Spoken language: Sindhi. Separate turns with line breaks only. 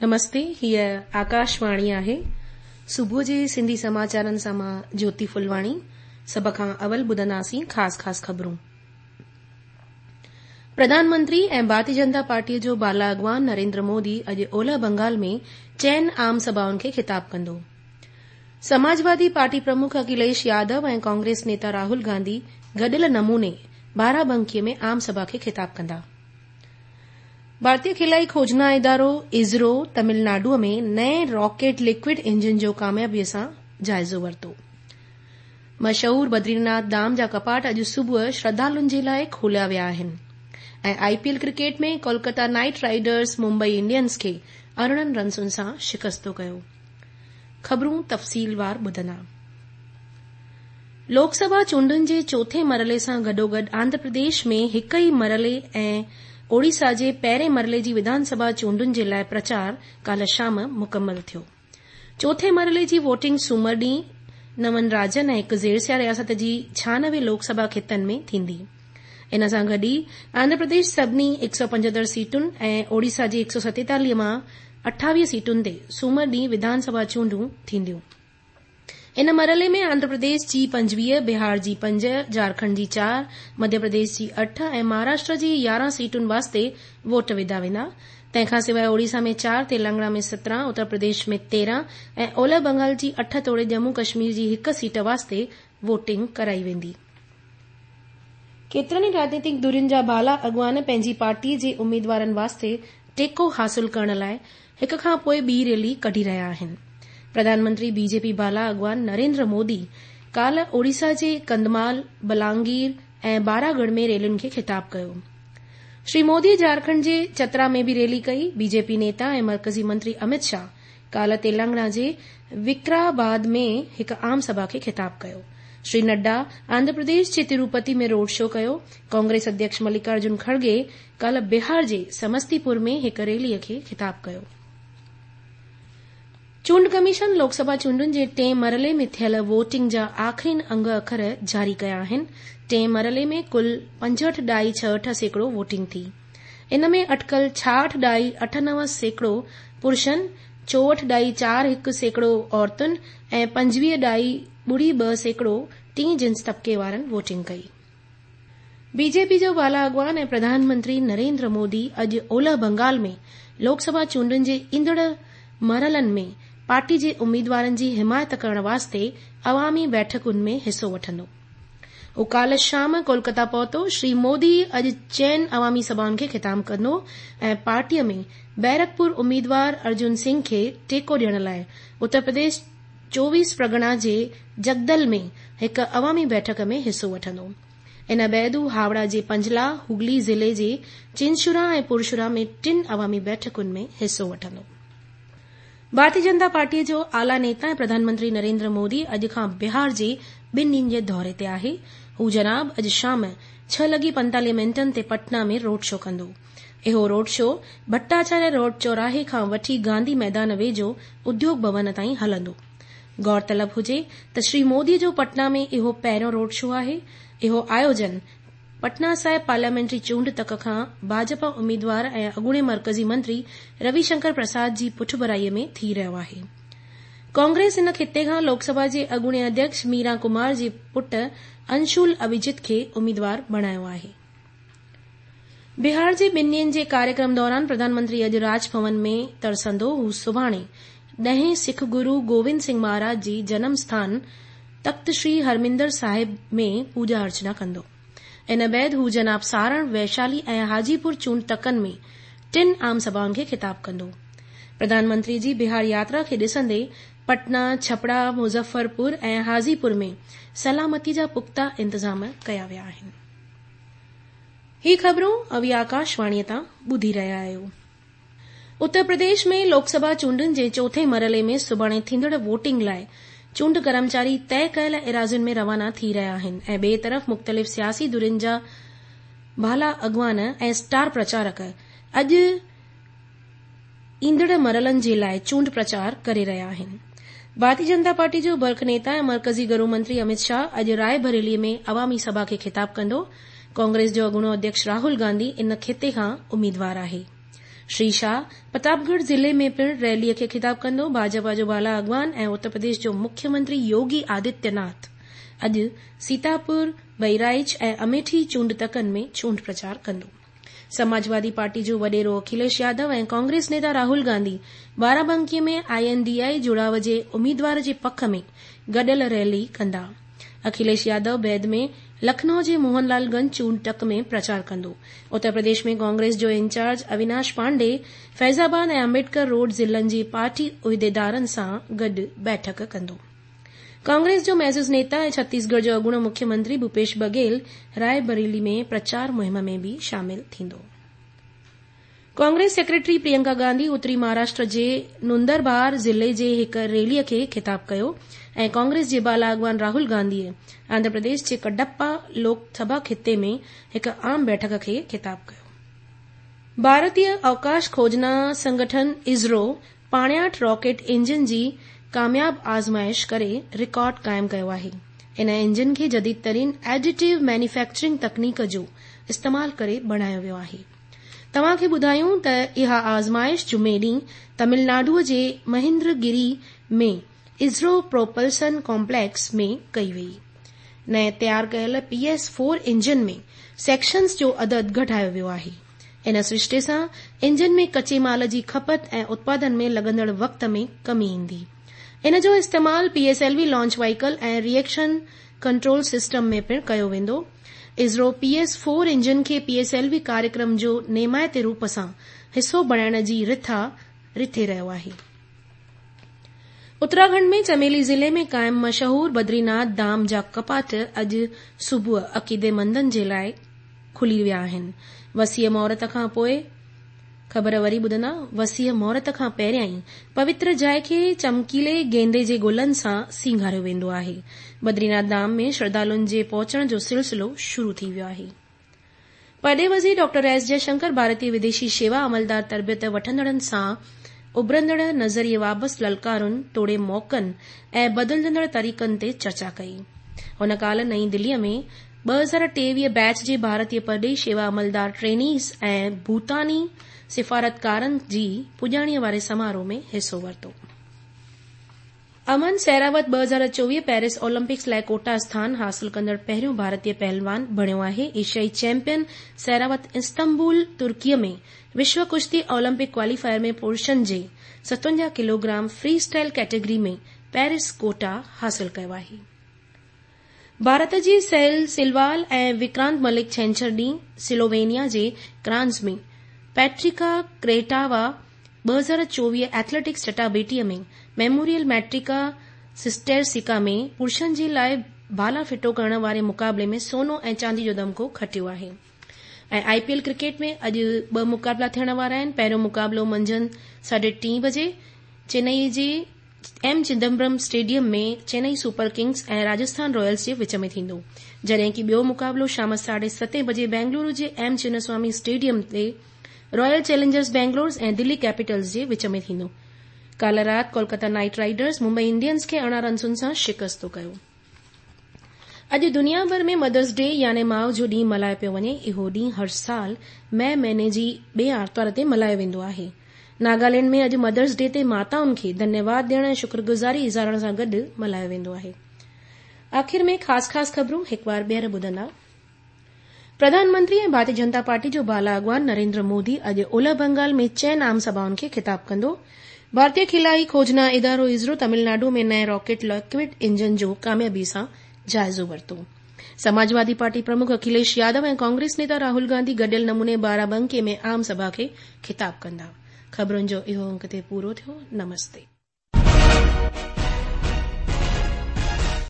نمستي هيء آڪاشواڻي آهي. صبح جي سنڌي سماچارن سان مان جوتي ڦلواڻي. سڀ کان اول ٻڌنداسين خاص خاص خبرون. پرڌان منتري ۽ ڀارتي جنتا پارٽيء جو بالا اڳواڻ نريندر مودي اڄ اولهه بنگال ۾ چئن عام سڀائن کي خطاب ڪندو. سماجوادي پارٽي پرمک اکليش يادو ۽ ڪانگريس نيتا راهول گانڌي گڏيل نموني بارابنڪيء ۾ عام سڀا کي خطاب ڪندا. ڀارتي خلائي کوجنا ادارو، اسرو، تمل ناڊوء ۾ نئين راڪيٽ لڪوئڊ انجن جو ڪاميابيء سان جائزو ورتو. مشهور بدريناٿ ڌام جا ڪپاٽ اڄ صبح شرڌالن جي لاء کوليا ويا آهن ۽ I P L cricket ۾ Kolkata Knight Riders Mumbai Indians کي 18 رنسن سان شڪستو ڪيو. خبرون تفصيلوار ٻڌندا. لوڪ سڀا چونڊن جي چوٿين مرحلي سان گڏوگڏ آنڌرا پرديش ۾ هڪ ئي مرحلي ۽ اوڙيسا جي پهرين مرحلي جي وڌان سڀا چونڊن جي لاء پرچار ڪالهه شام مڪمل ٿيو. چوٿين مرحلي جي ووٽنگ سومر ڏينهن نون راجين ۽ هڪ زيرسيا رياست جي 96 لوڪ سڀا خطن ۾ ٿيندي. ان سان گڏ ئي آنڌرا پرديش سڀني 175 سيٽن ۽ اوڙيسا جي 147 مان 28 سيٽن تي سومر ڏينهن وڌان سڀا چونڊون ٿينديون. ان مرحلي ۾ آنڌرا پرديش جي 25، بهار جي پنج، جهارکنڊ جي چار، مڌيه پرديش جي اٺ ۽ مهاراشٽر جي 11 سيٽن واسطي ووٽ وڌا ويندا. تنهن کان سواء اوڙيسا ۾ چار، تيلنگانا ۾ 17، اتر پرديش ۾ 13 ۽ اولهه بنگال جي اٺ توڙي ڄمون ڪشمير جي هڪ سيٽ واسطي ووٽنگ ڪرائي ويندي. ڪيترن ئي راڄنيتڪ ڌرين جا بالا اڳواڻ پنهنجي پارٽيء جي اميدوارن واسطي ٽيڪو حاصل ڪرڻ لاء هڪ کان پوء ٻي ريلي ڪڍي رهيا آهن. پرڌان منتري بي جي پي بالا اڳواڻ نريندر مودي ڪالهه اوڙيسا جي ڪنڌمال، بلانگير ۽ باراڳڙهه ۾ ريلين کي خطاب ڪيو. شري مودي جهارکنڊ جي چترا ۾ به ريلي ڪئي. بي جي پي نيتا ۽ مرڪزي منتري امت شاهه ڪالهه تيلنگانا جي وڪراباد ۾ هڪ عام سڀا کي خطاب ڪيو. شري نڊا آنڌرا پرديش جي تروپتي ۾ روڊ شو ڪيو. ڪانگريس اڌيڪش ملڪارجن کڙگي ڪالهه بهار جي سمستي پور ۾ هڪ ريلي کي خطاب ڪيو. چونڊ ڪميشن لوڪ سڀا چونڊن جي ٽئين مرحلي ۾ ٿيل ووٽنگ جا آخرين انگ اکر جاري ڪيا آهن. ٽئين مرحلي ۾ ڪل پنجهٺ ڏهائي ڇهٺ سيڪڙو ووٽنگ ٿي. ان ۾ اٽڪل ڇاهٺ ڏهائي اٺ نو سيڪڙو پرشن، چوهٺ ڏهائي چار هڪ سيڪڙو عورتن ۽ 25 ڏهائي 02% ٽئين جنس طبقي وارن ووٽنگ ڪئي. بي جي پي جو بالا اڳواڻ ۽ پرڌان منتري نريندر مودي اڄ اولهه بنگال ۾ لوڪ سڀا چونڊن جي ايندڙ مرحلن ۾ پارٽي جي اميدوارن جي حمايت ڪرڻ واسطي عوامي بيٺڪن ۾ حصو وٺندو. هو ڪالهه شام ڪولڪتا پهتو. شري مودي اڄ چئن عوامي سڀائن کي خطاب ڪندو ۽ پارٽيء ۾ بيرڪپور اميدوار ارجن سنگهه کي ٽيڪو ڏيڻ لاء اتر پرديش 24 پرڳڻا جي جگدل ۾ هڪ عوامي بيٺڪ ۾ حصو وٺندو. ان بعد هو هاوڙا جي پنجلا، هگلي ضلعي جي چنشورا ۽ پرشورا ۾ ٽن عوامي بيٺڪن ۾ حصو وٺندو. ڀارتي جنتا پارٽيء جو اعليٰ نيتا ۽ پرڌان منتري نريندر مودي اڄ کان بهار جي ٻن ڏينهن جي دوري تي آهي. هو جناب اڄ شام ڇهه لڳي 45 منٽن تي پٽنا ۾ روڊ شو ڪندو. اهو روڊ شو ڀٽاچاريه روڊ چوراهي کان وٺي گانڌي ميدان ويجهو اديوگ ڀون تائين هلندو. غور طلب هجي ته شري مودي جو پٽنا ۾ اهو پهريون روڊ شو آهي. اهو آيوجن پٽنا صاحب پارليامينٽري چونڊ تڪ کان ڀاجپا اميدوار ۽ اڳوڻي مرڪزي منتري روي شنڪر پرساد جي پٺڀرائي ۾ ٿي رهيو آهي. ڪانگريس ان خطي کان لوڪ سڀا جي اڳوڻي اڌيڪش ميرا ڪمار جي پٽ انشول اڀيجت کي اميدوار بڻايو آهي. بهار جي ٻن ڏينهن جي ڪاريڪرم دوران پرڌان منتري اڄ راج ڀون ۾ ترسندو. هو سڀاڻي ڏهين سک گرو گووند سنگهه مهاراج جي جنم اسٿان تخت شري هرمندر صاحب ۾ پوڄا ارچنا ڪندو. ان بعد هو جناب سارڻ، ويشالي ۽ حاجي پور چونڊ تڪن ۾ ٽن عام سڀائن کي خطاب ڪندو. پرڌان منتري جي بهار ياترا کي ڏسندي پٽنا، ڇپڙا، مظفرپور ۽ حاجي پور ۾ سلامتي جا پختا انتظام ڪيا ويا آهن. هي خبرون اوهين آڪاشواڻيء تان ٻڌي رهيا آهيو. اتر پرديش ۾ لوڪ سڀا چونڊن جي چوٿين مرحلي ۾ سڀاڻي ٿيندڙ ووٽنگ لاء چونڊ ڪرمچاري طئي ڪيل ايراضين ۾ روانا ٿي رهيا آهن ۽ ٻئي طرف مختلف سياسي ڌرين جا بالا اڳواڻ ۽ اسٽار پرچارڪ اڄ ايندڙ مرحلن جي لاء چونڊ پرچار ڪري رهيا آهن. ڀارتي جنتا پارٽي جو برک نيتا ۽ مرڪزي گرو منتري امت شاهه اڄ رائي بريلي ۾ عوامي سڀا کي خطاب ڪندو. ڪانگريس جو اڳوڻو اڌيڪش راهول گانڌي ان خطي کان اميدوار آهي. شري شاهه پرتاپڳڙهه ضلعي ۾ پڻ ريلي کي خطاب ڪندو. ڀاجپا جو بالا اڳواڻ ۽ اتر پرديش جو مکيه منتري يوگي آدتيه ناٿ اڄ سيتاپور، بهرائچ ۽ اميٺي چونڊ تڪن ۾ چونڊ پرچار ڪندو. سماجوادي پارٽي جو وڏيرو Akhilesh Yadav ۽ Congress Nita Rahul Gandhi Barabanki ۾ I N D I جڙاء جي اميدوار جي پک ۾ گڏيل ريلي ڪندا. اکليش يادو بعد ۾ لکنؤ جي موهن لال گنج چونڊ تڪ ۾ پرچار ڪندو. اتر پرديش ۾ ڪانگريس جو انچارج اويناش پانڊي فيض آباد ۽ امبيڊڪر روڊ ضلعن جي پارٽي عهديدارن سان گڏ بيٺڪ ڪندو. ڪانگريس جو معزز نيتا ۽ ڇتيسڳڙهه جو اڳوڻو مکيه منتري ڀوپيش بگهيل رائي بريلي ۾ پرچار مهم ۾ به شامل ٿيندو. ڪانگريس سيڪريٽري پرينڪا گانڌي اتري مهاراشٽر جي نندربار ضلعي جي هڪ ريلي کي خطاب ڪيو ۽ ڪانگريس جي بالا اڳواڻ راهول گانڌي آنڌرا پرديش جي ڪڊپا لوڪ سڀا خطي ۾ هڪ عام بيٺڪ کي خطاب ڪيو. ڀارتي اوڪاش کوجنا سنگٺن اسرو پاڻياٺ راڪيٽ انجن جي ڪامياب آزمائش ڪري رڪارڊ قائم ڪيو آهي. ان انجن کي جديد ترين ايڊيٽو مينوفيڪچرنگ تڪنيڪ جو استعمال ڪري بڻايو ويو آهي. توهان کي ٻڌايون ته اها آزمائش جمعي ڏينهن تمل ناڊو جي مهندر گري ۾ اسرو پروپلسن ڪامپليڪس ۾ ڪئي وئي. نئين تيار ڪيل P S four engine ۾ sections جو عدد گهٽايو ويو آهي. ان سرشتي سان انجن ۾ ڪچي مال جي کپت ۽ اتپادن ۾ لڳندڙ وقت ۾ ڪمي ايندي. ان جو استعمال P S L V launch vehicle ۽ reaction control system ۾ پڻ ڪيو ويندو. اسرو پي ايس فور انجن کي پي ايس ايل وي ڪاريڪرم جو نيمائتي روپ سان حصو بڻائڻ جي رٿا رٿي رهيو آهي. اتراکنڊ ۾ چميلي ضلعي ۾ قائم مشهور بدريناٿ ڌام جا ڪپاٽ اڄ صبح عقيديمندن جي لاء کلي ويا آهن. وسيع مهورت کان پوء خبر وري ٻڌندا، وسيع مهورت کان پهريائين پوتر جاء کي چمڪيلي گيندي جي گلن سان سينگاريو ويندو آهي. بدريناٿ ڌام ۾ شرڌالن جي پهچڻ جو سلسلو شروع ٿي ويو آهي. پرڏيهي وزير ڊاڪٽر ايس جئه شنڪر ڀارتي وديشي شيوا عملدار تربيت وٺندڙن سان اڀرندڙ نظريي وابسته للڪارن توڙي موقعن ۽ بدلجندڙ طريقن تي چرچا ڪئي. هن ڪالهه نئين دليء ۾ 2023 بيچ جي ڀارتي پرڏيهي شيوا عملدار ٽرينيز ۽ ڀوتاني سفارتڪارن جي پڄاڻيء واري سماروهه ۾ حصو ورتو. امن سهراوت 2024 پيرس اولمپڪس لاء ڪوٽا اسٿان حاصل ڪندڙ پهريون ڀارتي پهلوان بڻيو آهي. ايشيائي چيمپيئن سهراوت استنبول، ترڪيء ۾ وشو ڪشتي اولمپڪ ڪواليفائر ۾ پرشن جي 57 kilogram free style category ۾ Paris quota حاصل ڪيو آهي. ڀارت جي سهيل سلوال ۽ وڪرانت ملڪ ڇنڇر ڏينهن سلووينيا جي ڪرانز ۾ پيٽريڪا ڪريٽاوا 2024 ايٿليٽڪس چٽاڀيٽي ۾ ميموريل ميٽريڪا سسٽيرسڪا ۾ پرشن جي لاء ڀالا ڦٽو ڪرڻ واري مقابلي ۾ سونو ۽ چاندي جو تمغو کٽيو آهي ۽ آء پي ايل ڪرڪيٽ ۾ اڄ ٻه مقابلا ٿيڻ وارا آهن پهريون مقابلو منجهند ساڍي ٽين بجي چنئي جي M Chidambaram stadium ۾ Chennai super kings ۽ Rajasthan royals جي وچ ۾ ٿيندو جڏهن ڪي ٻيو مقابلو شام ساڍي ستين بجي بينگلورو جي ايم چناسوامي اسٽيڊيم تي رائل چئلينجرز بينگلورز ۽ دلي ڪيپيٽلز جي وچ ۾ ٿيندو. ڪالهه رات Kolkata Knight Riders Mumbai Indians کي 18 رنسن سان شڪست ڪيو. اڄ دنيا ڀر ۾ مدرز ڊي يعني ماء جو ڏينهن ملهايو پيو وڃي. اهو ڏينهن هر سال مئي مهيني جي ٻئي آرتوار تي ملهايو ويندو آهي. ناگالينڊ ۾ اڄ مدرز ڊي تي ماتائن کي ڌنيواد ڏيڻ ۽ شڪرگذاري اظهارڻ سان گڏ ملهايو ويندو آهي. آخر ۾ خاص خاص خبرون هڪ وار ٻيهر ٻڌندا. پرڌان منتري ۽ ڀارتي جنتا پارٽي جو بالا اڳواڻ نريندر مودي اڄ اولهه بنگال ۾ چئن عام سڀائن کي خطاب ڪندو. ڀارتي خلائي کوجنا ادارو اسرو تمل ناڊو ۾ نئين راڪيٽ ليڪوئڊ انجن جو ڪاميابي سان جائزو ورتو. سماجوادي پارٽي پرمک اکليش يادو ۽ ڪانگريس نيتا راهول گانڌي گڏيل نموني بارابنڪي ۾ عام سڀا کي خطاب ڪندا. خبرن جو اهو انڪ هتي پورو ٿيو. نمستي.